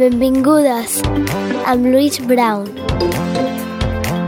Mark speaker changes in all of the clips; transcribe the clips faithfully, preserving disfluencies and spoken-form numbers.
Speaker 1: Benvingudes, amb Louise Brown.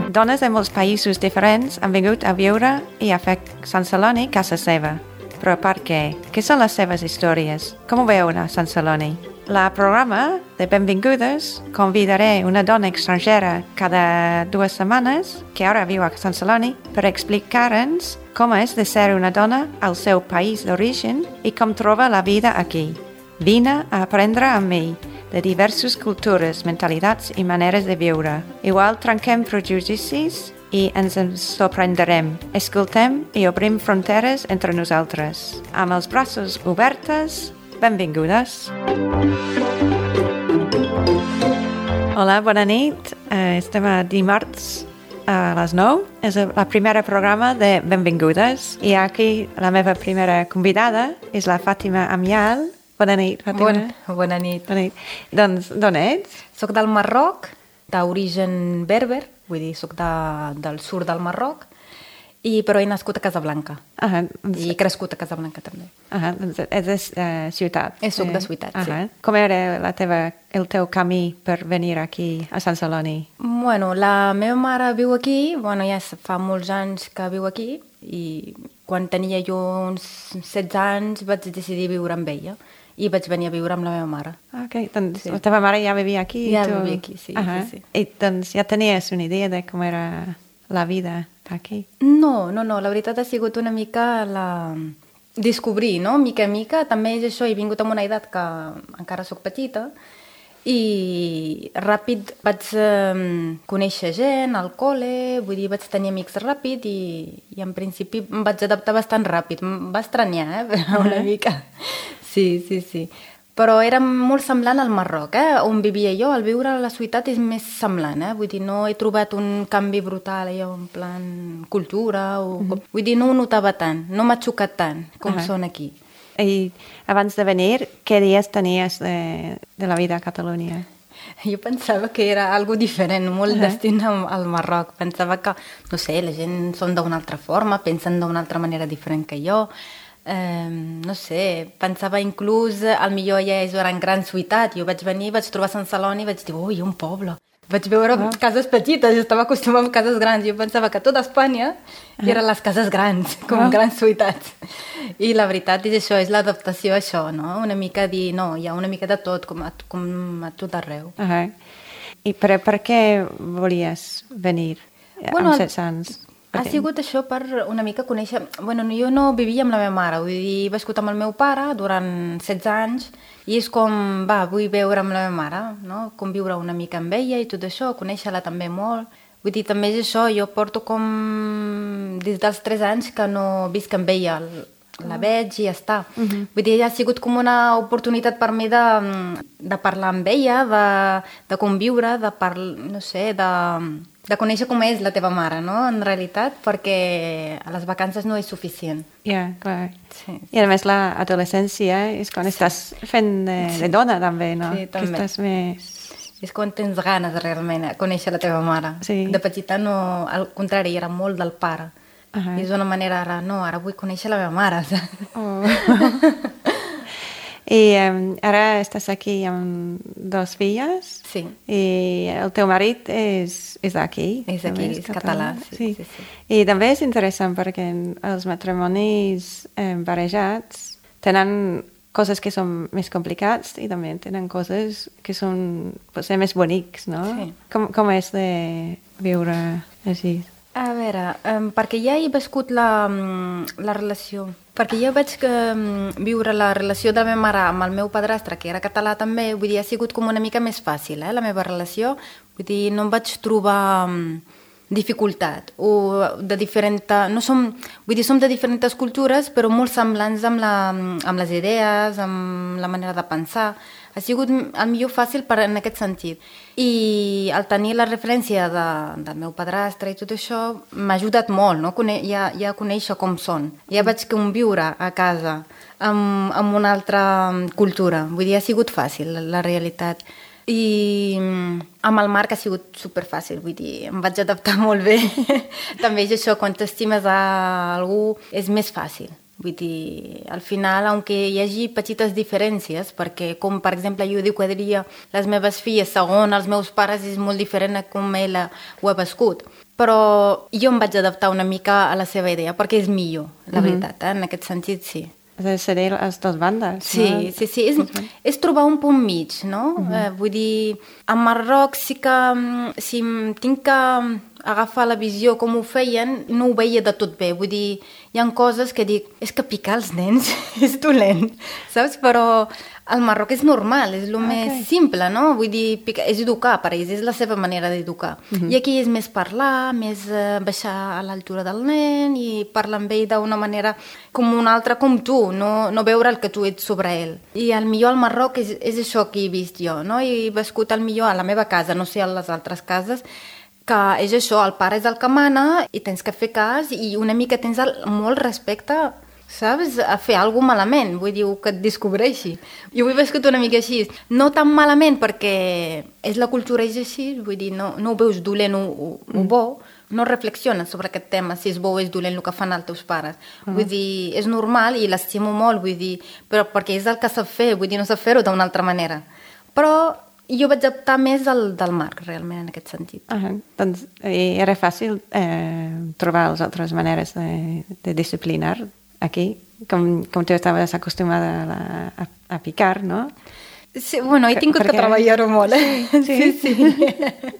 Speaker 2: Dones de molts països diferents han vingut a viure i a fer Sant Celoni casa seva. Però per què? Què són les seves històries? Com ho veuen a Sant Celoni? La programa de Benvingudes convidaré una dona estrangera cada dues setmanes que ara viu a Sant Celoni per explicar-nos com és de ser una dona al seu país d'origen i com troba la vida aquí. Vine a aprendre amb mi de diverses cultures, mentalitats i maneres de viure. Igual trenquem prejudicis i ens en sorprendrem. Escoltem i obrim fronteres entre nosaltres. Amb els braços obertes, benvingudes. Hola, bona nit. Uh, estem a dimarts a les nou. És el primer programa de Benvingudes. I aquí la meva primera convidada és la Fàtima Amial. Bona nit, Fàtima.
Speaker 3: Bon, bona nit.
Speaker 2: Bona nit. Doncs, d'on ets?
Speaker 3: Soc del Marroc, d'origen berber, vull dir, soc de, del sud del Marroc, i, però he nascut a Casablanca.
Speaker 2: Ah, doncs...
Speaker 3: I he crescut a Casablanca, també.
Speaker 2: Ah, doncs és de uh, ciutat.
Speaker 3: És soc de ciutat,
Speaker 2: ah,
Speaker 3: sí.
Speaker 2: Com era la teva, el teu camí per venir aquí a Sant Celoni?
Speaker 3: Bueno, la meva mare viu aquí, bueno, ja fa molts anys que viu aquí, i quan tenia jo uns setze anys vaig decidir viure amb ella. I vaig venir a viure amb la meva mare.
Speaker 2: Ok, doncs sí. La teva mare ja vivia aquí?
Speaker 3: Ja
Speaker 2: tu...
Speaker 3: vivia aquí, sí,
Speaker 2: uh-huh.
Speaker 3: sí, sí.
Speaker 2: I doncs ja tenies una idea de com era la vida aquí?
Speaker 3: No, no, no, la veritat ha sigut una mica la... descobrir, no? Mica a mica, també és això, he vingut amb una edat que encara sóc petita i ràpid vaig eh, conèixer gent al col·le, vull dir, vaig tenir amics ràpid i, i en principi em vaig adaptar bastant ràpid. Em va estranyar, eh? Però una mica... Sí, sí, sí. Però era molt semblant al Marroc, eh? On vivia jo. Al viure a la ciutat és més semblant, eh? Vull dir, no he trobat un canvi brutal allò en plan cultura o... Mm-hmm. Vull dir, no ho notava tant, no m'ha xocat tant com uh-huh. són aquí.
Speaker 2: I abans de venir, què dies tenies de, de la vida a Catalunya?
Speaker 3: Jo pensava que era algo diferent, molt uh-huh. destint al Marroc. Pensava que, no sé, la gent són d'una altra forma, pensen d'una altra manera diferent que jo. Eh, no sé, pensava inclús, al millor ja és una gran ciutat. Jo vaig venir, vaig trobar Sant Celoni i vaig dir, ui, un poble. Vaig veure oh. cases petites, jo estava acostumat a cases grans. Jo pensava que tota Espanya uh-huh. eren les cases grans, com oh. grans ciutats. I la veritat és això, és l'adaptació a això, no? Una mica dir, no, hi ha una mica de tot, com a, com a tot arreu.
Speaker 2: Uh-huh. I per, per què volies venir
Speaker 3: bueno,
Speaker 2: amb setze anys?
Speaker 3: Ha sigut això per una mica conèixer... Bueno, jo no vivia amb la meva mare, vull dir, he viscut amb el meu pare durant setze anys i és com, va, vull veure amb la meva mare, no? Conviure una mica amb ella i tot això, conèixer-la també molt. Vull dir, també és això, jo porto com des dels tres anys que no visc amb ella, la veig i ja està. Uh-huh. Vull dir, ha sigut com una oportunitat per mi de, de parlar amb ella, de, de conviure, de parlar, no sé, de... de conèixer com és la teva mare, no?, en realitat, perquè a les vacances no és suficient.
Speaker 2: Ja, yeah, clar.
Speaker 3: Sí, sí.
Speaker 2: I a més l'adolescència és quan sí. estàs fent de, de dona, també, no?
Speaker 3: Sí, també.
Speaker 2: Que estàs més...
Speaker 3: És quan tens ganes, realment, de conèixer la teva mare. Sí. De petita, no, al contrari, era molt del pare. Uh-huh. I és una manera, ara, no, ara vull conèixer la meva mare.
Speaker 2: Oh. I um, ara estàs aquí amb dos filles.
Speaker 3: Sí.
Speaker 2: I el teu marit és, és d'aquí.
Speaker 3: És d'aquí, és, és català. català. Sí, sí. Sí, sí.
Speaker 2: I també és interessant perquè els matrimonis eh, barrejats tenen coses que són més complicats i també tenen coses que són potser més bonics, no?
Speaker 3: Sí.
Speaker 2: Com, com és de viure així?
Speaker 3: A veure, um, perquè ja he viscut la, la relació, perquè jo vaig um, viure la relació de la meva mare amb el meu padrastre, que era català també, vull dir, ha sigut com una mica més fàcil, eh, la meva relació, vull dir, no em vaig trobar um, dificultat, o de diferent... No som, vull dir, som de diferents cultures, però molt semblants amb, la, amb les idees, amb la manera de pensar. Ha sigut el millor fàcil per, en aquest sentit. I al tenir la referència de, del meu padrastre i tot això m'ha ajudat molt, no? Cone, ja, ja conèixer com són. Ja vaig conviure a casa amb, amb una altra cultura. Vull dir, ha sigut fàcil, la, la realitat. I amb el Marc ha sigut superfàcil, vull dir, em vaig adaptar molt bé. També és això, quan t'estimes a algú és més fàcil. Vull dir, al final, aunque hi hagi petites diferències, perquè com per exemple jo diu que diria les meves filles segons els meus pares és molt diferent a com ell ho ha viscut, però jo em vaig adaptar una mica a la seva idea perquè és millor, la
Speaker 2: Mhm.
Speaker 3: veritat, eh? En aquest sentit sí.
Speaker 2: És a dir, seré les dues bandes.
Speaker 3: Sí,
Speaker 2: no?
Speaker 3: sí, sí, és, és trobar un punt mig, no? Uh-huh. eh, vull dir, a Marroc sí que mm, si em tinc que agafar la visió com ho feien, no ho veia de tot bé. Vull dir, hi ha coses que dic, és que picar els nens és dolent, saps? Però al Marroc és normal, és el
Speaker 2: Ah,
Speaker 3: més
Speaker 2: ok.
Speaker 3: simple, no? Vull dir, picar, és educar per ells, és la seva manera d'educar.
Speaker 2: Mhm.
Speaker 3: I aquí és més parlar, més eh, baixar a l'altura del nen i parlar amb ell d'una manera com un altre com tu, no, no veure el que tu ets sobre ell. I al millor al Marroc és, és això que he vist jo, no? I he viscut al millor a la meva casa, no sé a les altres cases, que és això, el pare és el que mana i tens que fer cas i una mica tens el, molt respecte, saps? A fer alguna malament, vull dir, que et descobreixi. Jo ho he viscut una mica així. No tan malament perquè és la cultura és així, vull dir, no, no ho veus dolent o, o, o bo, no reflexiones sobre aquest tema, si és bo o és dolent el que fan els teus pares. Uh -huh. Vull dir, és normal i l'estimo molt, vull dir, però perquè és el que sap fer, vull dir, no sap fer-ho d'una altra manera. Però jo vaig optar més del, del Marc, realment, en aquest sentit.
Speaker 2: Ah, doncs i era fàcil eh, trobar les altres maneres de, de disciplinar aquí, com, com tu estaves acostumada a, la, a, a picar, no?
Speaker 3: Sí, bueno, he
Speaker 2: Que-
Speaker 3: tingut que,
Speaker 2: perquè-
Speaker 3: treballar-ho molt, eh?
Speaker 2: Sí, sí.
Speaker 3: sí. sí.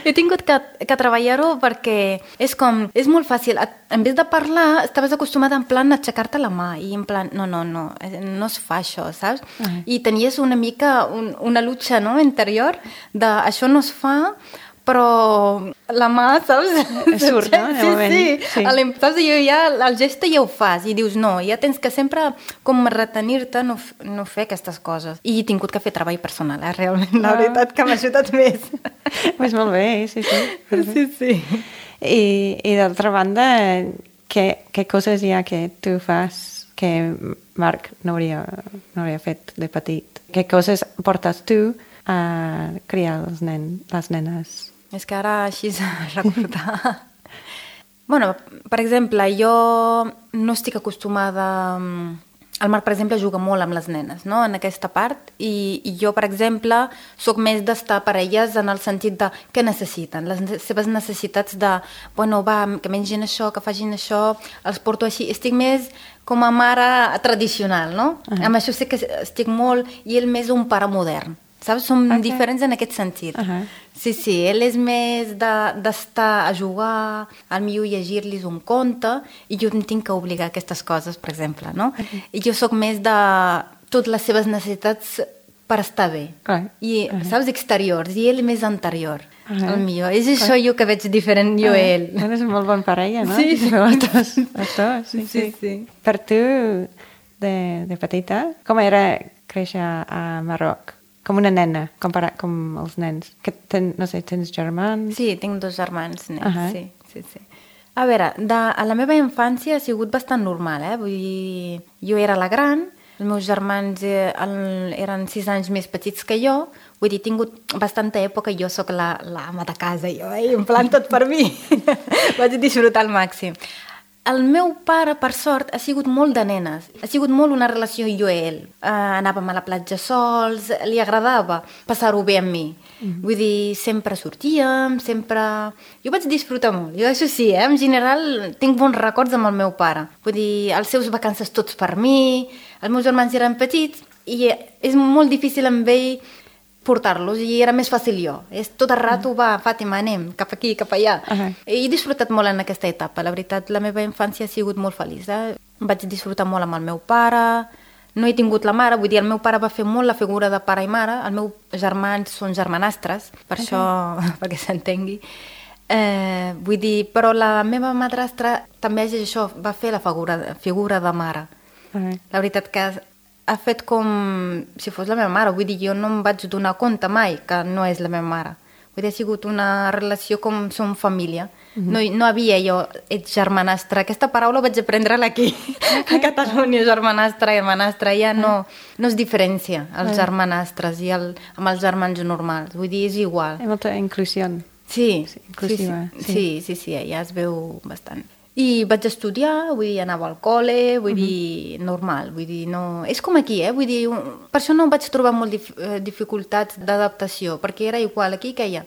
Speaker 3: He tingut que, que treballar-ho perquè és com, és molt fàcil. En vez de parlar, estaves acostumada en plan a aixecar-te la mà i en plan, no, no, no, no es fa això, saps?
Speaker 2: Ah.
Speaker 3: I tenies una mica un, una lucha, no?, interior de això no es fa, però la mà, saps?
Speaker 2: Surt, no? De
Speaker 3: Sí,
Speaker 2: moment.
Speaker 3: sí.
Speaker 2: Sí.
Speaker 3: A l'im- saps? Jo ja, el geste ja ho fas i dius no, ja tens que sempre com retenir-te, no, f- no fer aquestes coses. I he tingut que fer treball personal, eh? Realment, la
Speaker 2: Ah.
Speaker 3: veritat que m'ha ajudat més.
Speaker 2: Pues molt bé, sí, sí.
Speaker 3: Sí, sí.
Speaker 2: I, i d'altra banda, què, què coses hi ha que tu fas que Marc no hauria, no hauria fet de petit? Què coses portes tu a criar els nen, les nenes?
Speaker 3: És que ara així recordar... bueno, per exemple, jo no estic acostumada... El Marc, per exemple, juga molt amb les nenes, no?, en aquesta part, i, i jo, per exemple, sóc més d'estar per elles en el sentit de què necessiten, les ne- seves necessitats de, bueno, va, que mengin això, que facin això, els porto així. Estic més com a mare tradicional, no?
Speaker 2: Ah.
Speaker 3: Amb això sí que estic molt, i ell més un pare modern. Saps? Som
Speaker 2: Ok.
Speaker 3: diferents en aquest sentit.
Speaker 2: Ahà.
Speaker 3: Sí, sí, ell és més de- d'estar a jugar, al millor llegir-los un conte, i jo em tinc que obligar a aquestes coses, per exemple, no? I jo sóc més de totes les seves necessitats per estar bé.
Speaker 2: Clar.
Speaker 3: I,
Speaker 2: Ahà.
Speaker 3: saps, exteriors, i ell més anterior.
Speaker 2: Ahà.
Speaker 3: El millor. És això jo que veig diferent jo a ell.
Speaker 2: Ah, és molt bon parella, no?
Speaker 3: Sí.
Speaker 2: Les dues, les dues, sí,
Speaker 3: Sí,
Speaker 2: sí.
Speaker 3: sí.
Speaker 2: Per tu, de, de petita, com era créixer a Marroc? Com una nena, comparat com els nens. Que ten, no sé, tens germans?
Speaker 3: Sí, tinc dos germans nens,
Speaker 2: Ahà.
Speaker 3: sí, sí, sí. A veure, de, a la meva infància ha sigut bastant normal, eh? Vull dir, jo era la gran, els meus germans eh, el, eren sis anys més petits que jo, vull dir, he tingut bastanta època i jo sóc la, la ama de casa, jo, eh? En plan tot per mi. Vaig disfrutar al màxim. El meu pare, per sort, ha sigut molt de nenes. Ha sigut molt una relació jo i ell. Uh, anàvem a la platja sols, li agradava passar-ho bé amb mi. Mm. Vull dir, sempre sortíem, sempre... Jo vaig disfrutar molt. Jo això sí, eh? En general tinc bons records amb el meu pare. Vull dir, els seus vacances tots per mi, els meus germans eren petits i és molt difícil amb ell portar-los i era més fàcil jo. És tot el rato, va, Fàtima, anem, cap aquí, cap allà.
Speaker 2: Ahà.
Speaker 3: He disfrutat molt en aquesta etapa, la veritat, la meva infància ha sigut molt feliç. Eh? Vaig disfrutar molt amb el meu pare, no he tingut la mare, vull dir, el meu pare va fer molt la figura de pare i mare, els meus germans són germanastres, per okay. això, perquè s'entengui. Eh, vull dir, però la meva madrastra també és això, va fer la figura, figura de mare.
Speaker 2: Ahà.
Speaker 3: La veritat que ha fet com si fos la meva mare, vull dir, jo no em vaig donar compte mai que no és la meva mare. Vull dir, ha sigut una relació com som família. Mm-hmm. no, no havia jo, ets germanastre. Aquesta paraula vaig aprendre-la aquí, okay. A Catalunya, germanastre i hermanastre. Ja no, no es diferencia els germanastres i el, amb els germans normals. Vull dir, és igual.
Speaker 2: Hi ha molta inclusió.
Speaker 3: Sí,
Speaker 2: Sí, inclusiva,
Speaker 3: sí,
Speaker 2: sí.
Speaker 3: sí, sí, sí, ja es veu bastant. I vaig estudiar, vull dir, anava al col·le, vull uh -huh. dir, normal, vull dir, no... És com aquí, eh? Vull dir, per això no vaig trobar molt dif dificultats d'adaptació, perquè era igual aquí que allà.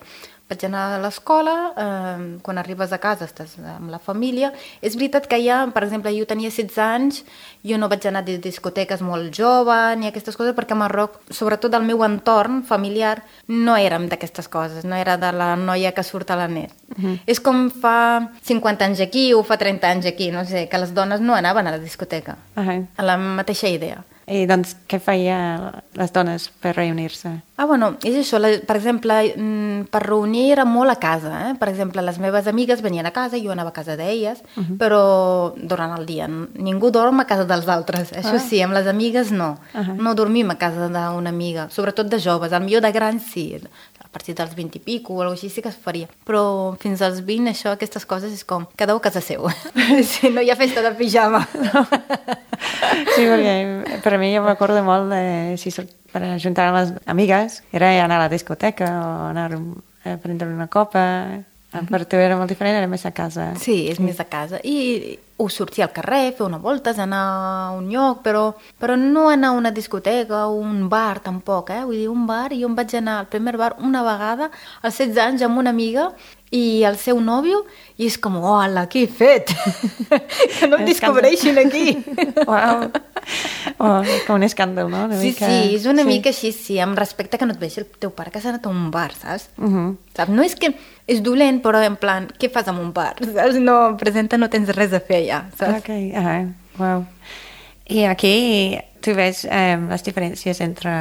Speaker 3: Vaig anar a l'escola, eh, quan arribes a casa estàs amb la família. És veritat que allà, per exemple, jo tenia setze anys, jo no vaig anar a discoteques molt jove ni aquestes coses, perquè a Marroc, sobretot el meu entorn familiar, no érem d'aquestes coses, no era de la noia que surt a la net. Uh -huh. És com fa cinquanta anys aquí o fa trenta anys aquí, no sé, que les dones no anaven a la discoteca. Uh -huh. A la mateixa idea.
Speaker 2: I doncs què feia les dones per reunir-se?
Speaker 3: Ah, bueno, és això. La, per exemple, per reunir era molt a casa. Eh? Per exemple, les meves amigues venien a casa, jo anava a casa d'elles, uh -huh. però durant el dia. Ningú dorm a casa dels altres. Això ah. sí, amb les amigues no. Uh -huh. No dormim a casa d'una amiga, sobretot de joves. Al millor de grans sí, a partir dels vint i pico o alguna cosa així sí que es faria. Però fins als vint, això, aquestes coses és com cada un a casa seu. Sí, no hi ha festa de pijama. No.
Speaker 2: Sí, perquè per a mi jo m'acordo molt de si per ajuntar amb les amigues era anar a la discoteca o anar a prendre una copa. Per tu era molt diferent, era més a casa.
Speaker 3: Sí, és sí. més a casa. I o sortir al carrer, fer una volta, anar a un lloc, però, però no anar a una discoteca o un bar tampoc, eh? Vull dir, un bar, jo em vaig anar al primer bar una vegada, als setze anys, amb una amiga i el seu nòvio, i és com, hola, què he fet? Que no em descobreixin aquí.
Speaker 2: Uau. Oh, com un escàndol, no? Una
Speaker 3: sí,
Speaker 2: mica...
Speaker 3: sí, és una
Speaker 2: sí.
Speaker 3: mica així, sí, amb respecte que no et vegi el teu pare que s'ha anat a un bar, saps? Uh
Speaker 2: -huh.
Speaker 3: Saps? No és que és dolent, però en plan, què fas amb un bar? Saps? No, presenta, no tens res a fer allà, saps?
Speaker 2: Ok, ah, wow. I aquí tu ves um, les diferències entre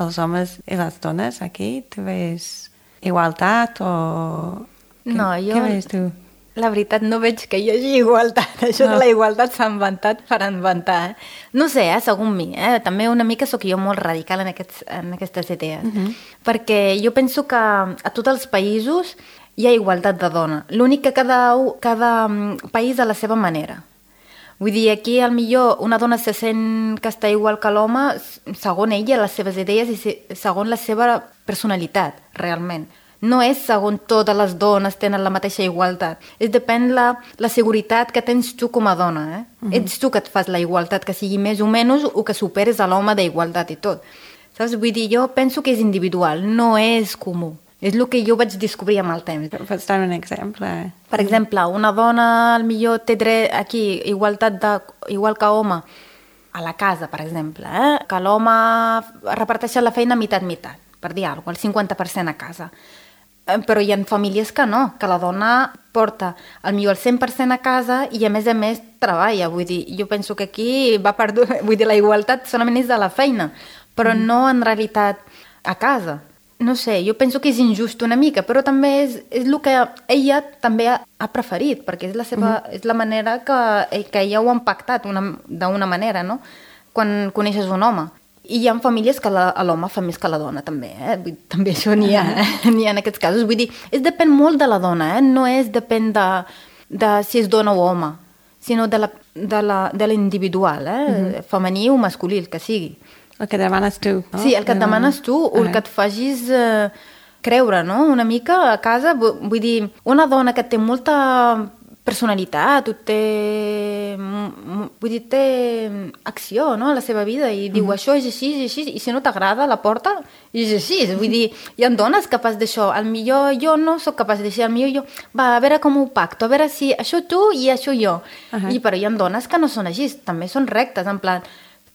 Speaker 2: els homes i les dones aquí? Tu ves igualtat o...
Speaker 3: No,
Speaker 2: què,
Speaker 3: jo...
Speaker 2: Què ves tu?
Speaker 3: La veritat, no veig que hi hagi igualtat. Això no. de la igualtat s'ha inventat per inventar. Eh? No sé, eh, segons mi. Eh? També una mica sóc jo molt radical en, aquests, en aquestes idees. Uh -huh. Perquè jo penso que a tots els països hi ha igualtat de dona. L'únic que cada, cada país a la seva manera. Vull dir, aquí al millor una dona se sent que està igual que l'home segons ella, les seves idees i segons la seva personalitat, realment. No és segons totes les dones tenen la mateixa igualtat. És depèn la, la seguretat que tens tu com a dona. Eh? Uh -huh. Ets tu que et fas la igualtat, que sigui més o menys o que superes a l'home d'igualtat i tot. Saps? Vull dir, jo penso que és individual, no és comú. És el que jo vaig descobrir amb el temps.
Speaker 2: Pots donar un exemple?
Speaker 3: Per exemple, una dona al millor té dret aquí, igualtat de, igual que home, a la casa, per exemple, eh? Que l'home reparteix la feina mitat-mitat, per dir alguna cosa, el cinquanta per cent a casa. Però hi ha famílies que no, que la dona porta al millor el cent per cent a casa i a més a més treballa. Vull dir, jo penso que aquí va perdut, vull dir, la igualtat solament és de la feina, però mm. no en realitat a casa. No sé, jo penso que és injust una mica, però també és, és el que ella també ha, ha preferit, perquè és la, seva, mm. és la manera que, que ella ho ha impactat d'una manera, no? Quan coneixes un home. I hi ha famílies que l'home fa més que la dona, també, eh? També això n'hi ha, eh? N'hi ha en aquests casos. Vull dir, és depèn molt de la dona, eh? No és depèn de, de si és dona o home, sinó de la, de la, de l'individual, eh? Mm-hmm. Femení o masculí, el que sigui.
Speaker 2: El que demanes tu, no?
Speaker 3: Sí, el que et demanes tu, o el que et facis eh, creure, no? Una mica a casa, vull dir, una dona que té molta personalitat, té, vull dir, té acció, no?, a la seva vida i diu, mm-hmm. això és així, és així, i si no t'agrada la porta, és així. Vull dir, hi ha dones capaces d'això. Al millor jo no sóc capaç d'això, al millor jo, va, a veure com ho pacto, a veure si això tu i això jo. Uh-huh. I però hi ha dones que no són així, també són rectes, en plan,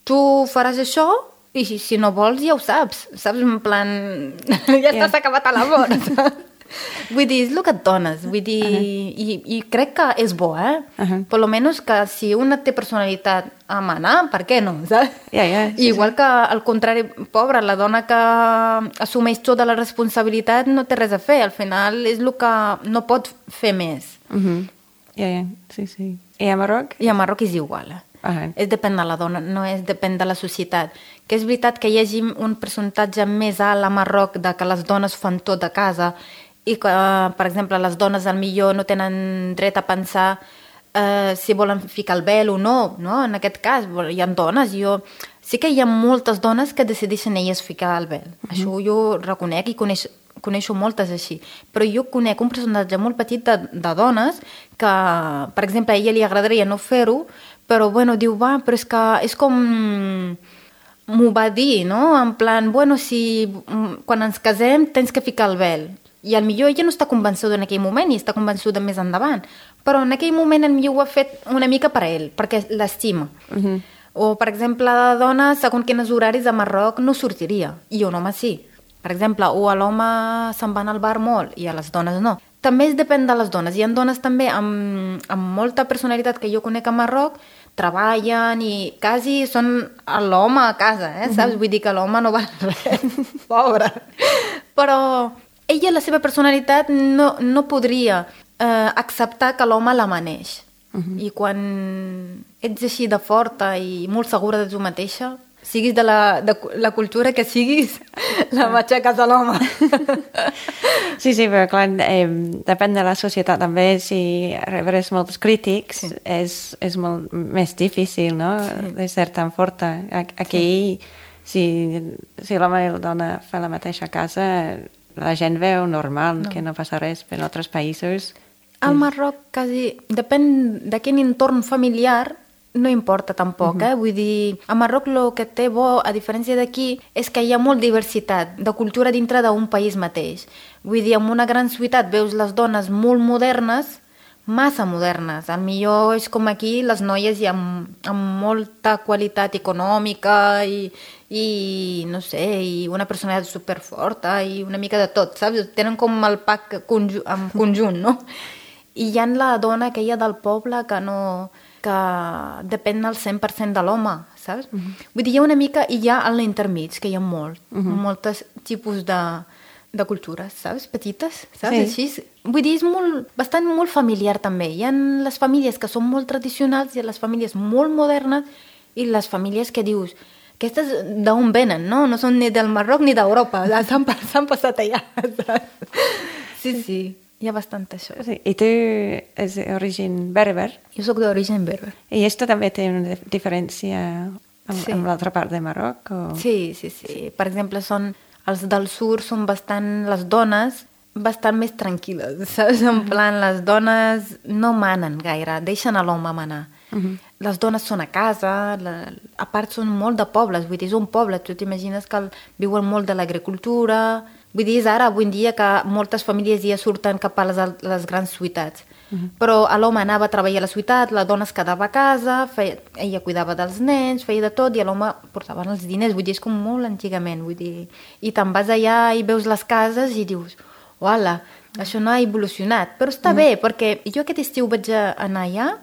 Speaker 3: tu faràs això i si, si no vols ja ho saps, saps? En plan, ja yeah. estàs acabat a l'amor, saps? Vull dir, és el que et dones, vull dir, uh -huh. i, i crec que és bo, eh? Uh -huh. Per lo menos que si una té personalitat a manar, per què no, saps?
Speaker 2: Yeah, yeah, sí,
Speaker 3: igual
Speaker 2: sí.
Speaker 3: que, al contrari, pobra, la dona que assumeix tota la responsabilitat no té res a fer, al final és el que no pot fer més.
Speaker 2: Uh -huh. yeah, yeah. Sí, sí. I a Marroc?
Speaker 3: I a Marroc és igual, eh? Uh -huh. És depèn de la dona, no és depèn de la societat. Que és veritat que hi hagi un percentatge més alt a Marroc de que les dones fan tot a casa i que, per exemple, les dones al millor no tenen dret a pensar eh, si volen ficar el vel o no, no? En aquest cas, hi ha dones, jo... Sí que hi ha moltes dones que decideixen elles ficar el vel. Uh -huh. Això jo reconec i coneix, coneixo moltes així, però jo conec un percentatge molt petit de, de dones que, per exemple, a ella li agradaria no fer-ho, però bueno, diu, va, però és que és com... M'ho va dir, no? En plan, bueno, si quan ens casem tens que ficar el vel. I al millor ella no està convençuda en aquell moment i està convençuda més endavant. Però en aquell moment el millor ho ha fet una mica per a ell, perquè l'estima. Uh-huh. O, per exemple, la dona, segons quins horaris a Marroc, no sortiria. I un home sí. Per exemple, o l'home se'n va al bar molt i a les dones no. També depèn de les dones. Hi ha dones també amb, amb molta personalitat que jo conec a Marroc, treballen i quasi són l'home a casa, eh? Saps? Vull dir que l'home no va res, pobre. Però ella, la seva personalitat, no, no podria eh, acceptar que l'home la maneix. Uh-huh. I quan ets així de forta i molt segura de tu mateixa, siguis de la, de la cultura que siguis, la matxaques a l'home.
Speaker 2: Sí, sí, però clar, eh, depèn de la societat també, si rebràs molts crítics, sí. és, és molt més difícil, no?, sí. de ser tan forta. Aquí, sí. si, si l'home i la dona fan la mateixa casa, la gent veu normal, no. que no passa res, però en altres països...
Speaker 3: Al Marroc, quasi, depèn de quin entorn familiar, no importa tampoc, uh-huh. eh? Vull dir, a Marroc el que té bo, a diferència d'aquí, és que hi ha molt diversitat de cultura dintre d'un país mateix. Vull dir, en una gran ciutat veus les dones molt modernes, massa modernes. Al millor és com aquí, les noies hi ha amb, amb molta qualitat econòmica i, i, no sé, i una personalitat superforta i una mica de tot, saps? Tenen com el pack conju- en conjunt, no? I hi ha la dona aquella del poble que no... que depèn al cent per cent de l'home, saps? Uh-huh. Vull dir, hi ha una mica, i hi ha a l'intermig, que hi ha molt, uh-huh. moltes tipus de, de cultures, saps? Petites, saps? Sí. Així, vull dir, és molt, bastant molt familiar també. Hi ha les famílies que són molt tradicionals i les famílies molt modernes i les famílies que dius, aquestes d'on venen, no? No són ni del Marroc ni d'Europa, s'han, s'han passat allà, saps? Sí, sí. Hi ha bastant això.
Speaker 2: Sí. I tu és d'origen berber?
Speaker 3: Jo soc d'origen berber.
Speaker 2: I esto també té una diferència amb, sí. amb l'altra part de Marroc? O...
Speaker 3: Sí, sí, sí. Per exemple, són, els del sud són bastant, les dones, bastant més tranquil·les, saps? En plan, les dones no manen gaire, deixen a l'home manar. Uh-huh. Les dones són a casa, la, a part són molt de pobles, vull dir, és un poble, tu t'imagines que viuen molt de l'agricultura... Vull dir, és ara, avui en dia, que moltes famílies ja surten cap a les, les grans ciutats. Uh-huh. Però l'home anava a treballar a la ciutat, la dona es quedava a casa, feia, ella cuidava dels nens, feia de tot, i l'home portava els diners. Vull dir, és com molt antigament, vull dir. I te'n vas allà i veus les cases i dius, uala, això no ha evolucionat. Però està uh-huh. bé, perquè jo aquest estiu vaig anar allà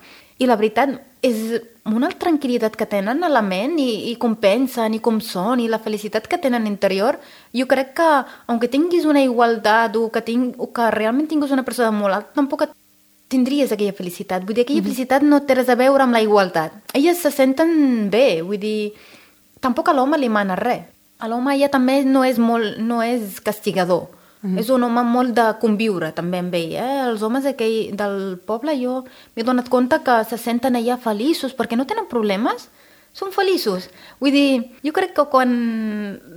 Speaker 3: i la veritat és una tranquil·litat que tenen a la ment i, i com pensen i com són i la felicitat que tenen interior. Jo crec que, aunque tinguis una igualtat o que, ting, o que realment tinguis una persona molt alta, tampoc tindries aquella felicitat. Vull dir, aquella mm-hmm. felicitat no té res a veure amb la igualtat. Elles se senten bé, vull dir, tampoc a l'home li mana res. A l'home ja també no és, molt, no és castigador. Mm-hmm. És un home molt de conviure també amb ell, eh? Els homes aquell del poble, jo m'he donat compte que se senten allà feliços perquè no tenen problemes, són feliços. Vull dir, jo crec que quan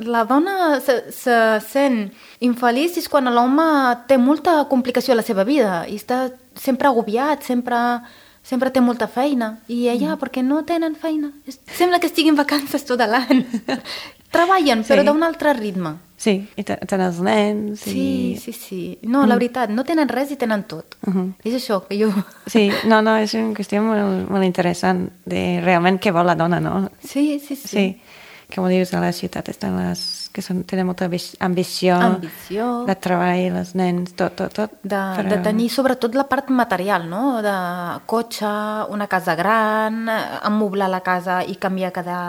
Speaker 3: la dona se, se sent infeliç és quan l'home té molta complicació a la seva vida i està sempre agobiat, sempre, sempre té molta feina. I ella, mm. perquè no tenen feina? Sembla que estiguin vacances tot l'any. Treballen, però sí. d'un altre ritme.
Speaker 2: Sí, i tenen els nens. I...
Speaker 3: Sí, sí, sí. No, la veritat, no tenen res i tenen tot. Uh-huh. És això que jo...
Speaker 2: Sí, no, no, és una qüestió molt, molt interessant de realment què vol la dona, no?
Speaker 3: Sí, sí, sí.
Speaker 2: Sí, com dius, a la ciutat estan les que són, tenen molta ambició,
Speaker 3: ambició,
Speaker 2: de treball, els nens, tot, tot, tot.
Speaker 3: De,
Speaker 2: però...
Speaker 3: de tenir sobretot la part material, no? De cotxe, una casa gran, emmoblar la casa i canviar cada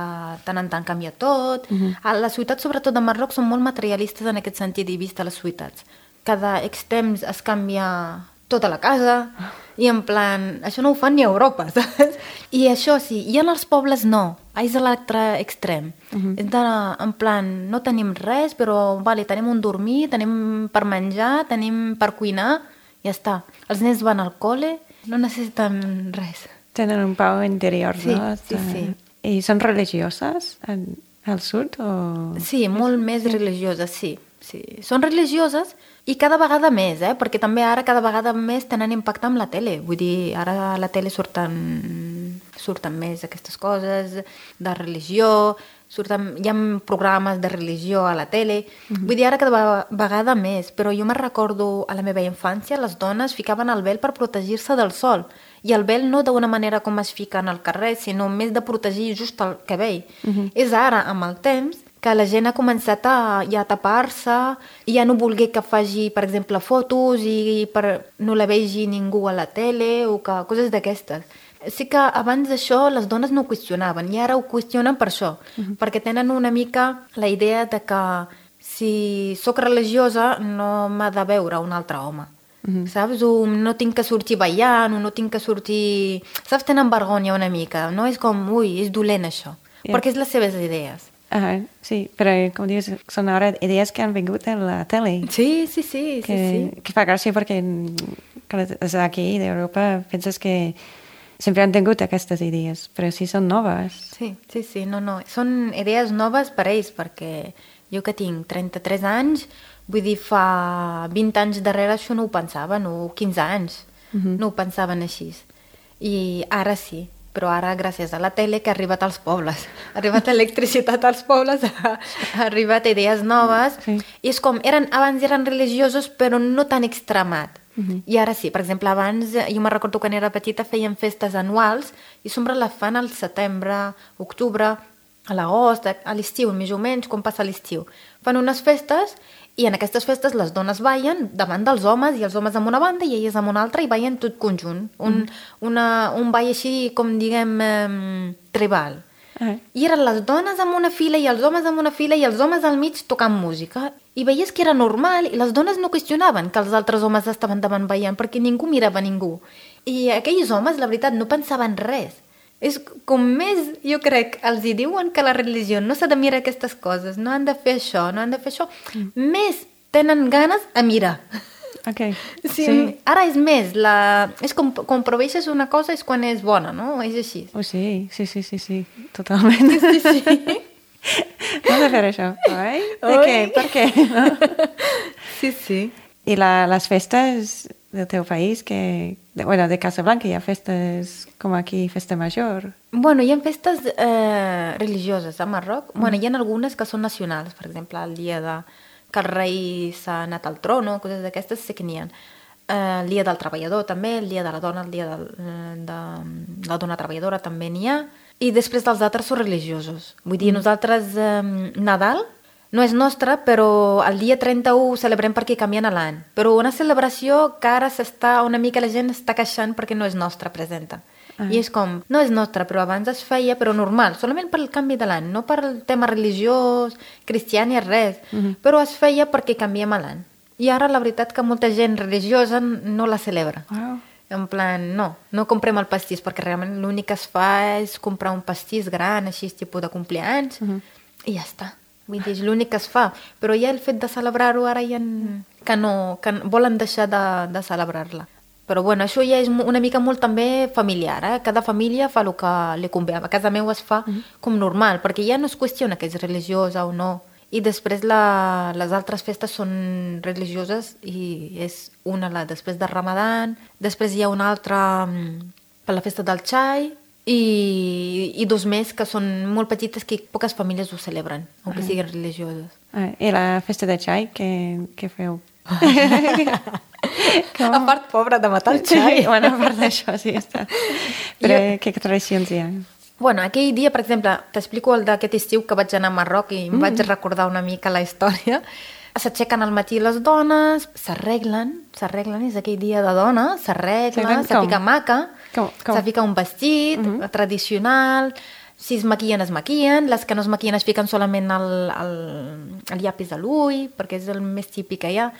Speaker 3: tant en tant, canviar tot. Uh-huh. A la ciutat, sobretot de Marroc, són molt materialistes en aquest sentit i vista les ciutats. Cada X temps es canvia tota la casa i en plan, això no ho fan ni a Europa, saps? I això sí, i en els pobles no, és a l'altre extrem. Uh-huh. És de, en plan, no tenim res, però vale, tenim un dormir, tenim per menjar, tenim per cuinar, ja està. Els nens van al col·le, no necessiten res.
Speaker 2: Tenen un pau interior,
Speaker 3: sí,
Speaker 2: no?
Speaker 3: Sí, sí.
Speaker 2: I són religioses al sud? O...
Speaker 3: Sí, molt més religioses, sí. sí. Són religioses i cada vegada més, eh? Perquè també ara cada vegada més tenen impacte amb la tele. Vull dir, ara a la tele surten, surten més aquestes coses de religió, surten, hi ha programes de religió a la tele. Mm-hmm. Vull dir, ara cada vegada més. Però jo me recordo a la meva infància, les dones ficaven el vel per protegir-se del sol. I el vel no d'una manera com es fica al carrer, sinó més de protegir just el cabell. Mm-hmm. És ara, amb el temps, que la gent ha començat a, ja a tapar-se i ja no volgué que faci, per exemple, fotos i per no la vegi ningú a la tele o que, coses d'aquestes. Sí que abans d'això les dones no ho qüestionaven i ara ho qüestionen per això, uh-huh. perquè tenen una mica la idea de que si sóc religiosa no m'ha de veure un altre home. Uh-huh. Saps? O no tinc que sortir ballant, o no tinc que sortir... Saps? Tenen vergonya una mica. No és com, ui, és dolent això. Yeah. Perquè és les seves idees.
Speaker 2: Uh, sí, però com dius, són ara idees que han vingut a la tele.
Speaker 3: Sí, sí, sí.
Speaker 2: Que,
Speaker 3: sí, sí.
Speaker 2: que fa gràcia perquè des d'aquí, d'Europa, penses que sempre han tingut aquestes idees, però sí són noves.
Speaker 3: Sí, sí, sí, no, no. Són idees noves per ells, perquè jo que tinc trenta-tres anys, vull dir, fa vint anys darrere això no ho pensaven, o quinze anys, uh-huh. no ho pensaven així. I ara sí. Però ara, gràcies a la tele, que ha arribat als pobles. Ha arribat electricitat als pobles, ha, ha arribat idees noves. Sí. I és com, eren, abans eren religiosos, però no tan extremat. Uh-huh. I ara sí, per exemple, abans, jo me recordo quan era petita, feien festes anuals, i sempre la fan al setembre, octubre, a l'agost, a l'estiu, més o menys, com passa l'estiu. Fan unes festes, i en aquestes festes les dones ballen davant dels homes, i els homes amb una banda i elles amb una altra, i ballen tot conjunt. Un, mm. una, un ball així, com diguem, eh, tribal. Uh-huh. I eren les dones amb una fila i els homes amb una fila i els homes al mig tocant música. I veies que era normal i les dones no qüestionaven que els altres homes estaven davant ballant perquè ningú mirava ningú. I aquells homes, la veritat, no pensaven res. És com més, jo crec, els hi diuen que la religió no s'ha de mirar aquestes coses, no han de fer això, no han de fer això, mm. més tenen ganes a mirar.
Speaker 2: Okay.
Speaker 3: Sí,
Speaker 2: sí.
Speaker 3: Ara és més, la... és com, com proveixes una cosa és quan és bona, no? És així.
Speaker 2: Oh, sí, sí, sí, sí, sí, totalment.
Speaker 3: Sí, sí.
Speaker 2: No has de fer això, oi? Per què? Per què? No?
Speaker 3: Sí, sí.
Speaker 2: I la, les festes del teu país, que, de, bueno, de Casablanca hi ha festes com aquí, festa major.
Speaker 3: Bueno, hi ha festes eh, religioses a Marroc. Mm. Bueno, hi ha algunes que són nacionals, per exemple, el dia de que el rei s'ha anat al trono, coses d'aquestes sí que n'hi ha. Eh, el dia del treballador també, el dia de la dona, el dia de, de la dona treballadora també n'hi ha. I després dels altres són religiosos. Vull dir, mm. nosaltres eh, Nadal no és nostre, però el dia trenta-u celebrem perquè canvien l'any. Però una celebració que ara s'està, una mica la gent està queixant perquè no és nostra, presenta. Ah. I és com, no és nostre, però abans es feia, però normal, solament per el canvi de l'any, no per el tema religiós, cristià ni res, uh-huh. però es feia perquè canviem l'any. I ara la veritat que molta gent religiosa no la celebra. Wow. En plan, no, no comprem el pastís, perquè realment l'únic que es fa és comprar un pastís gran, així, tipus de compleanys, uh-huh. i ja està. Vull dir, és l'únic que es fa. Però ja el fet de celebrar-ho ara ja en... que no, que volen deixar de, de celebrar-la. Però bueno, això ja és una mica molt també familiar, eh? Cada família fa el que li convé. A casa meu es fa mm-hmm. com normal, perquè ja no es qüestiona que és religiosa o no. I després la, les altres festes són religioses i és una la després de Ramadan, després hi ha una altra per la festa del xai, I, i dos més que són molt petites que poques famílies ho celebren, aunque ah. siguin religioses.
Speaker 2: Ah, I la festa de xai, què, què feu?
Speaker 3: Com... A part pobra de matar el xai.
Speaker 2: Sí, bueno, a part d'això, sí, està. Però jo... què tradicions hi ha?
Speaker 3: Bueno, aquell dia, per exemple, t'explico el d'aquest estiu que vaig anar a Marroc i em mm. vaig recordar una mica la història. S'aixequen al matí les dones, s'arreglen, s'arreglen, és aquell dia de dona, s'arregla, se fica maca, com? Com? se fica un vestit uh-huh. tradicional, si es maquillen, es maquillen, les que no es maquillen es fiquen solament el, el, el llapis a l'ull, perquè és el més típic que hi ha.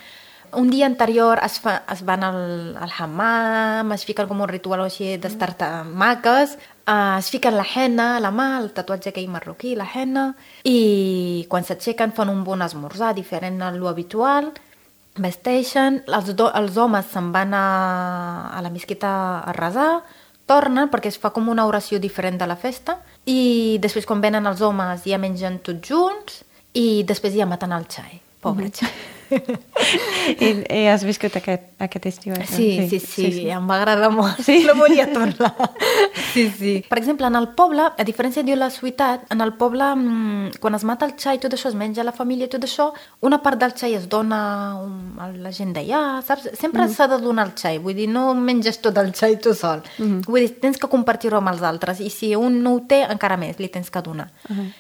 Speaker 3: Un dia anterior es, fa, es van al, al hammam, es fiquen com un ritual així d'estar maques, uh, es fiquen la henna a la mà, el tatuatge aquell marroquí, la henna, i quan s'aixequen fan un bon esmorzar diferent a l'habitual, vesteixen, els, do, els homes se'n van a, a la mesquita a resar, tornen perquè es fa com una oració diferent de la festa, i després quan venen els homes ja mengen tots junts, i després ja maten el xai. pobre xai.
Speaker 2: I, I has viscut aquest, aquest estiu? Eh?
Speaker 3: Sí, sí, sí, sí, sí, em va agradar molt.
Speaker 2: Sí?
Speaker 3: No volia tornar. Sí, sí. Per exemple, en el poble, a diferència de la ciutat, en el poble, quan es mata el xai, tot això es menja a la família, tot això, una part del xai es dona a la gent d'allà, saps? Sempre mm. s'ha de donar el xai, vull dir, no menges tot el xai tu sol. Mm. Vull dir, tens que compartir-ho amb els altres, i si un no ho té, encara més, li tens que donar. Uh -huh.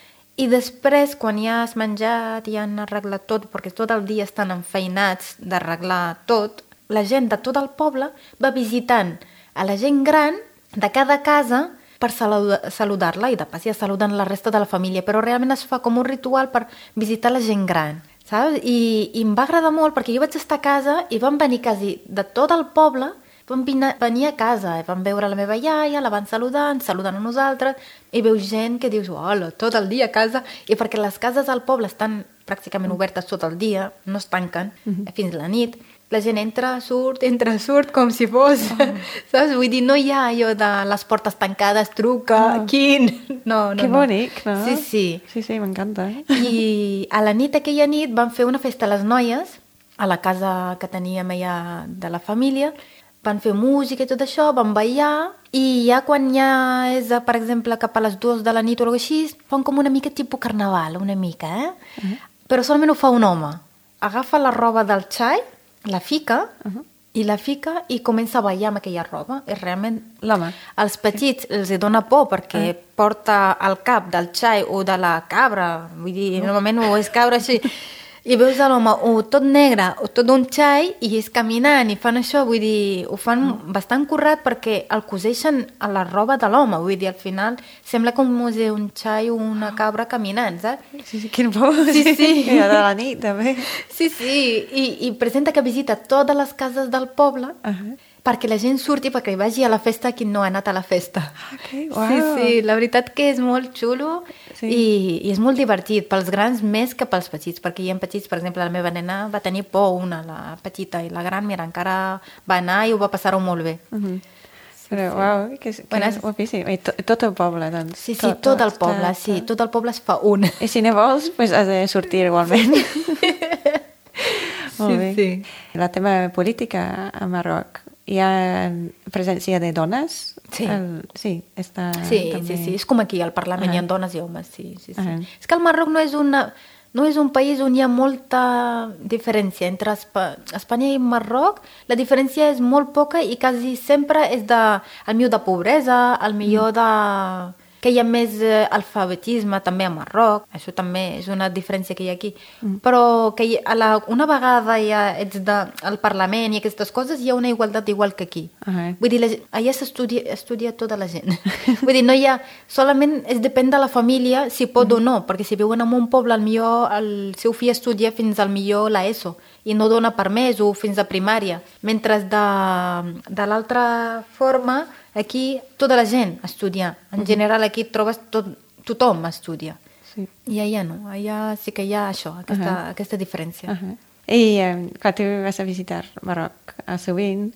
Speaker 3: I després, quan ja has menjat i ja han arreglat tot, perquè tot el dia estan enfeinats d'arreglar tot, la gent de tot el poble va visitant a la gent gran de cada casa per saludar-la i de pas ja saluden la resta de la família, però realment es fa com un ritual per visitar la gent gran, saps? I, i em va agradar molt perquè jo vaig estar a casa i van venir quasi de tot el poble, van venir a casa, van veure la meva iaia, la van saludar, ens saluden a nosaltres, i veus gent que dius, hola, tot el dia a casa, i perquè les cases al poble estan pràcticament obertes tot el dia, no es tanquen uh-huh. fins la nit, la gent entra, surt, entra, surt, com si fos, oh. saps? Vull dir, no hi ha allò de les portes tancades, truca, oh. quin... No, no,
Speaker 2: que
Speaker 3: no.
Speaker 2: bonic, no?
Speaker 3: Sí, sí.
Speaker 2: Sí, sí, m'encanta. Eh?
Speaker 3: I a la nit, aquella nit, van fer una festa a les noies, a la casa que teníem allà de la família, van fer música i tot això, van ballar, i ja quan ja és, per exemple, cap a les dues de la nit o alguna cosa així, fan com una mica tipus carnaval, una mica, eh? Uh-huh. Però solament ho fa un home. Agafa la roba del xai, la fica, uh-huh. i la fica i comença a ballar amb aquella roba. És realment...
Speaker 2: L'home.
Speaker 3: Als petits sí. els dona por perquè uh-huh. porta al cap del xai o de la cabra, vull dir, uh-huh. normalment ho és cabra així... I veus l'home o tot negre o tot un xai i és caminant i fan això, vull dir, ho fan mm. bastant currat perquè el coseixen a la roba de l'home, vull dir, al final sembla com si un xai o una cabra caminant, saps?
Speaker 2: Sí, sí, quin por,
Speaker 3: sí, sí. sí.
Speaker 2: I a la nit, també.
Speaker 3: Sí, sí, I, i presenta que visita totes les cases del poble uh-huh. perquè la gent surti, perquè vagi a la festa qui no ha anat a la festa.
Speaker 2: Okay, wow.
Speaker 3: Sí, sí, la veritat que és molt xulo sí. i, i és molt divertit, pels grans més que pels petits, perquè hi ha petits, per exemple, la meva nena va tenir por, una, la petita, i la gran, mira, encara va anar i ho va passar-ho molt bé.
Speaker 2: Uh-huh. Sí, Però, sí. uau, que, que bueno, és guapíssim. I to, tot el poble, doncs.
Speaker 3: Sí, sí, tot, tot el poble, tot, sí, tot el poble es fa un.
Speaker 2: I si ne vols, pues has de sortir igualment. Molt
Speaker 3: sí,
Speaker 2: bé. Sí. La tema política a Marroc, hi ha presència de dones?
Speaker 3: Sí.
Speaker 2: El, sí, està
Speaker 3: sí,
Speaker 2: també...
Speaker 3: sí, sí, és com aquí, al Parlament uh-huh. hi ha dones i homes, sí, sí, sí. Uh-huh. És que el Marroc no és, una, no és un país on hi ha molta diferència entre Espa... Espanya i Marroc. La diferència és molt poca i quasi sempre és de, el millor de pobresa, el millor de... que hi ha més eh, alfabetisme també a Marroc, això també és una diferència que hi ha aquí, mm. però que hi, a la, una vegada ja ets de, al Parlament i aquestes coses, hi ha una igualtat igual que aquí. Uh-huh. Vull dir, la, allà s'estudia estudia tota la gent. Vull dir, no hi ha, solament es depèn de la família si pot mm. o no, perquè si viuen en un poble, al millor el seu fill estudia fins al millor la ESO i no dona per més o fins a primària, mentre de, de l'altra forma aquí tota la gent estudia. En general aquí trobes tot, tothom estudia. Sí. I allà no, allà sí que hi ha això, aquesta, uh-huh. aquesta diferència. Uh-huh.
Speaker 2: I eh, quan tu vas a visitar Marroc a sovint,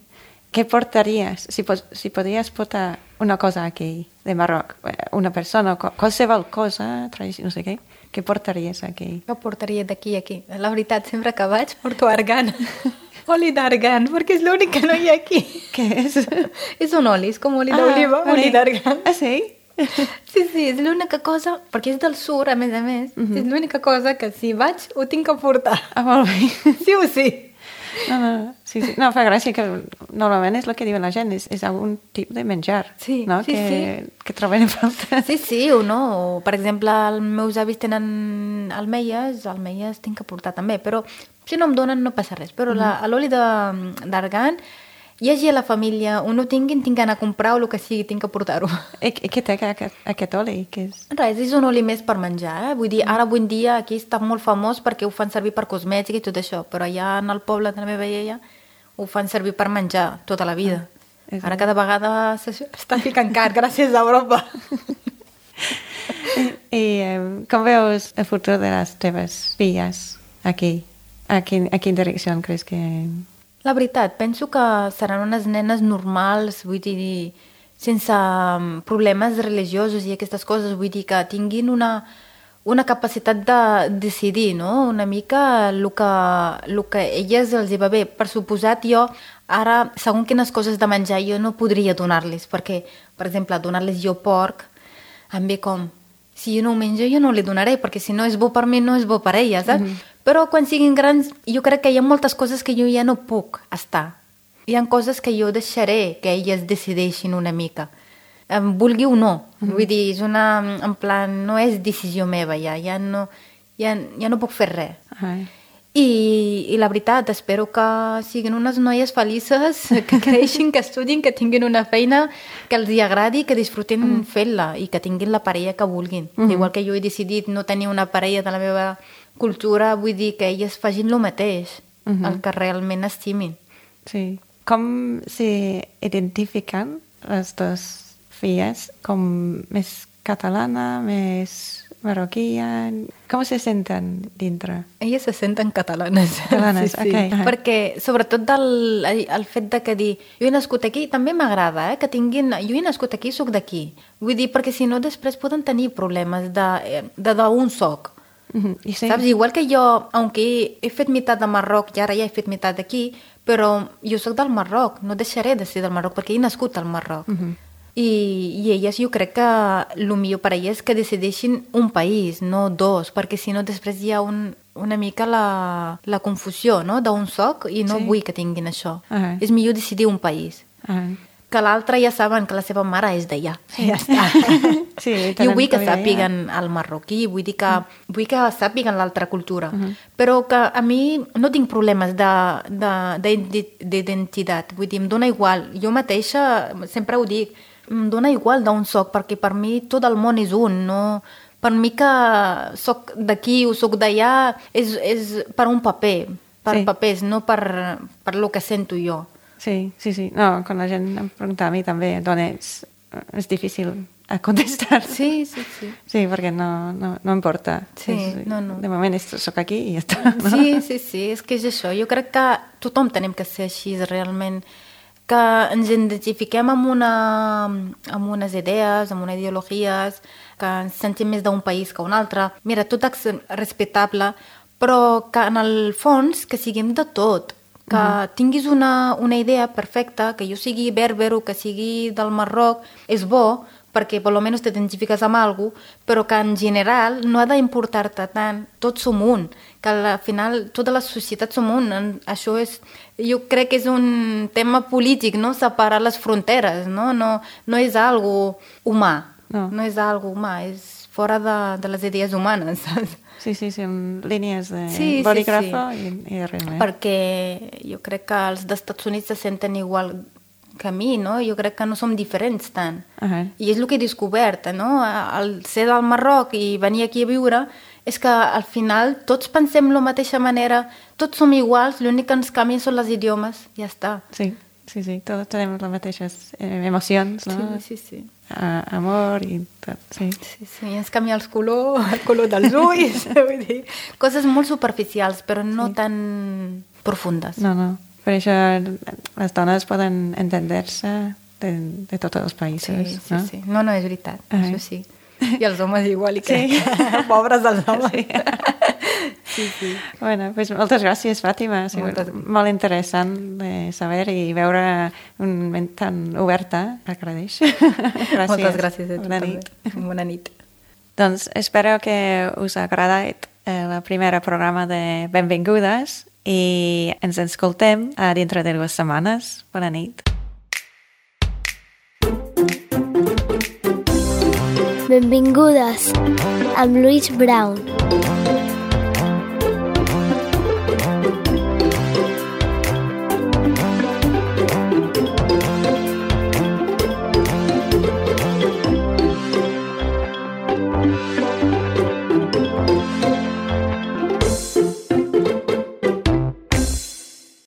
Speaker 2: què portaries? Si, pos, si podries portar una cosa aquí de Marroc, una persona, qualsevol cosa, no sé què, què portaries aquí?
Speaker 3: Què portaria d'aquí a aquí? La veritat, sempre que vaig porto argan. Oli d'argan, perquè és l'únic que no hi ha aquí.
Speaker 2: Què és?
Speaker 3: És un oli, és com oli ah, d'oliva, oli, oli d'argan.
Speaker 2: Ah, sí?
Speaker 3: Sí, sí, és l'única cosa, perquè és del sud, a més a més, uh-huh. és l'única cosa que si vaig ho tinc que portar.
Speaker 2: Ah, molt bé.
Speaker 3: Sí o sí.
Speaker 2: No, no, sí, sí. No, fa gràcia que normalment és el que diuen la gent, és, és algun tipus de menjar,
Speaker 3: sí,
Speaker 2: no?
Speaker 3: Sí,
Speaker 2: que,
Speaker 3: sí.
Speaker 2: que troben a falta.
Speaker 3: Sí, sí, o no. O, per exemple, els meus avis tenen almeies, almeies tinc que portar també, però si no em donen no passa res. Però mm. l'oli d'argan, hi hagi a la família, o no tinguin, tinc que anar a comprar o el que sigui, tinc que portar-ho.
Speaker 2: I, i què té aquest, aquest oli? Que és...
Speaker 3: Res, és un oli més per menjar, eh? Vull dir, ara avui en dia aquí està molt famós perquè ho fan servir per cosmètica i tot això, però allà en el poble de la meva iaia ho fan servir per menjar tota la vida. Ah, ara cada vegada està ficant car, gràcies a Europa.
Speaker 2: I, i um, com veus el futur de les teves filles aquí? A quin, a quin direcció creus que...
Speaker 3: La veritat, penso que seran unes nenes normals, vull dir, sense problemes religiosos i aquestes coses, vull dir que tinguin una, una capacitat de decidir, no? Una mica el que, el que a elles els hi va bé. Per suposat, jo ara, segons quines coses de menjar, jo no podria donar-les, perquè, per exemple, donar-les jo porc, em ve com, si jo no ho menjo, jo no li donaré, perquè si no és bo per mi, no és bo per elles, saps? Mm-hmm. Però quan siguin grans, jo crec que hi ha moltes coses que jo ja no puc estar. Hi ha coses que jo deixaré que elles decideixin una mica. Em vulgui o no. Mm. Vull dir, és una... En plan, no és decisió meva, ja. Ja no, ja, ja no puc fer res.
Speaker 2: Ai.
Speaker 3: I, I la veritat, espero que siguin unes noies felices, que creixin, que estudin, que tinguin una feina que els hi agradi, que disfrutin mm. fent-la i que tinguin la parella que vulguin. Mm. Igual que jo he decidit no tenir una parella de la meva cultura, vull dir que elles facin el mateix, mm-hmm. el que realment estimin.
Speaker 2: Sí. Com s'identifiquen les dues filles? Com més catalana, més marroquia? Com se senten dintre?
Speaker 3: Elles se senten catalanes.
Speaker 2: Catalanes,
Speaker 3: sí, sí.
Speaker 2: ok. Uh-huh.
Speaker 3: Perquè, sobretot, del, el fet de que dir jo he nascut aquí, també m'agrada, eh? Que tinguin... Jo he nascut aquí, soc d'aquí. Vull dir, perquè si no, després poden tenir problemes de d'on soc.
Speaker 2: Uh-huh. I sí.
Speaker 3: Saps? Igual que jo, aunque he fet meitat de Marroc i ara ja he fet meitat d'aquí, però jo soc del Marroc, no deixaré de ser del Marroc, perquè he nascut al Marroc. Uh-huh. I, I elles, jo crec que el millor per a elles és que decideixin un país, no dos, perquè si no després hi ha un, una mica la, la confusió, no?, d'on soc i no sí. vull que tinguin això. Uh-huh. És millor decidir un país. Uh-huh. Que l'altre ja saben que la seva mare és d'allà. Sí. Ja està. Sí, jo vull que sàpiguen el marroquí, vull dir que, uh-huh. vull que sàpiguen l'altra cultura. Uh-huh. Però que a mi no tinc problemes d'identitat. Vull dir, em dóna igual. Jo mateixa sempre ho dic, em dóna igual d'on soc, perquè per mi tot el món és un, no? Per mi que soc d'aquí o soc d'allà és, és per un paper, per sí. papers, no per, per lo que sento jo.
Speaker 2: Sí, sí, sí. No, quan la gent em pregunta a mi també, d'on ets, és difícil a contestar.
Speaker 3: Sí, sí, sí.
Speaker 2: Sí, perquè no, no, no importa.
Speaker 3: Sí,
Speaker 2: és,
Speaker 3: no, no.
Speaker 2: De moment soc aquí i ja està. No?
Speaker 3: Sí, sí, sí, és que és això. Jo crec que tothom tenim que ser així, realment, que ens identifiquem amb, una, amb unes idees, amb unes ideologies, que ens sentim més d'un país que un altre. Mira, tot és respectable, però que en el fons que siguem de tot, que uh-huh. tinguis una, una idea perfecta, que jo sigui berber o que sigui del Marroc, és bo, perquè per almenys t'identifiques amb alguna cosa, però que en general no ha d'importar-te tant, tots som un, que al final tota la societat som un, això és, jo crec que és un tema polític, no? Separar les fronteres, no? No, no és algo humà, no, no és algo humà, és fora de, de les idees humanes, saps?
Speaker 2: Sí, sí, són línies de
Speaker 3: sí,
Speaker 2: bolígrafo
Speaker 3: sí, sí.
Speaker 2: i, i res més.
Speaker 3: Perquè jo crec que els dels Estats Units se senten igual que a mi, no? Jo crec que no som diferents tant. Uh-huh. I és el que he descobert, no? Al ser del Marroc i venir aquí a viure, és que al final tots pensem de la mateixa manera, tots som iguals, l'únic que ens canvien són les idiomes, ja està.
Speaker 2: Sí, sí, sí, tots tenim les mateixes eh, emocions, no?
Speaker 3: Sí, sí, sí.
Speaker 2: A, amor i tot, sí.
Speaker 3: Sí, sí, ens canvia els colors, el color dels ulls, vull dir, coses molt superficials, però no sí. tan profundes.
Speaker 2: No, no. Per això les dones poden entendre-se de, de tots els països,
Speaker 3: sí, sí,
Speaker 2: no?
Speaker 3: Sí, no, no, és veritat, uh-huh. això sí. I els homes igual, i que
Speaker 2: sí.
Speaker 3: pobres dels homes.
Speaker 2: Sí.
Speaker 3: Sí, sí.
Speaker 2: Bueno, pues moltes gràcies, Fàtima. Ha sigut moltes... molt interessant de saber i veure un ment tan oberta. Agradeix. Gràcies.
Speaker 3: Moltes gràcies a tu
Speaker 2: Bona
Speaker 3: també.
Speaker 2: Nit.
Speaker 3: Bona nit.
Speaker 2: Doncs espero que us ha agradat el primer programa de Benvingudes i ens escoltem a dintre de dues setmanes. Bona nit.
Speaker 1: Benvingudes amb Louise Brown.